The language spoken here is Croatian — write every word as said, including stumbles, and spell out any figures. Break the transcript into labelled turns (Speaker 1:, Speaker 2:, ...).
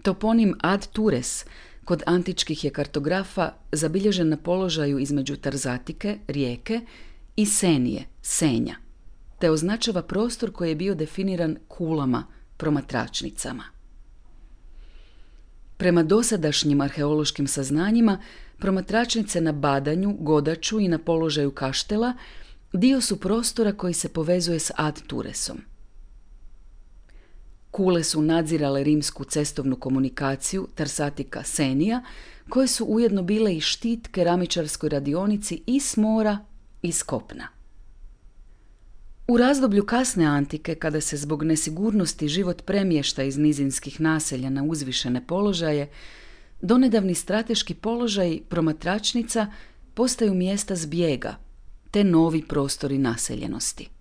Speaker 1: Toponim ad Tures kod antičkih je kartografa zabilježen na položaju između Tarzatike, rijeke, i Senije, Senja, te označava prostor koji je bio definiran kulama, promatračnicama. Prema dosadašnjim arheološkim saznanjima, promatračnice na Badanju, Godaču i na položaju Kaštela dio su prostora koji se povezuje s ad Turesom. Kule su nadzirale rimsku cestovnu komunikaciju Tarsatika Senija, koje su ujedno bile i štit keramičarskoj radionici i s mora i s kopna. U razdoblju kasne antike, kada se zbog nesigurnosti život premješta iz nizinskih naselja na uzvišene položaje, donedavni strateški položaji promatračnica postaju mjesta zbjega, te novi prostori naseljenosti.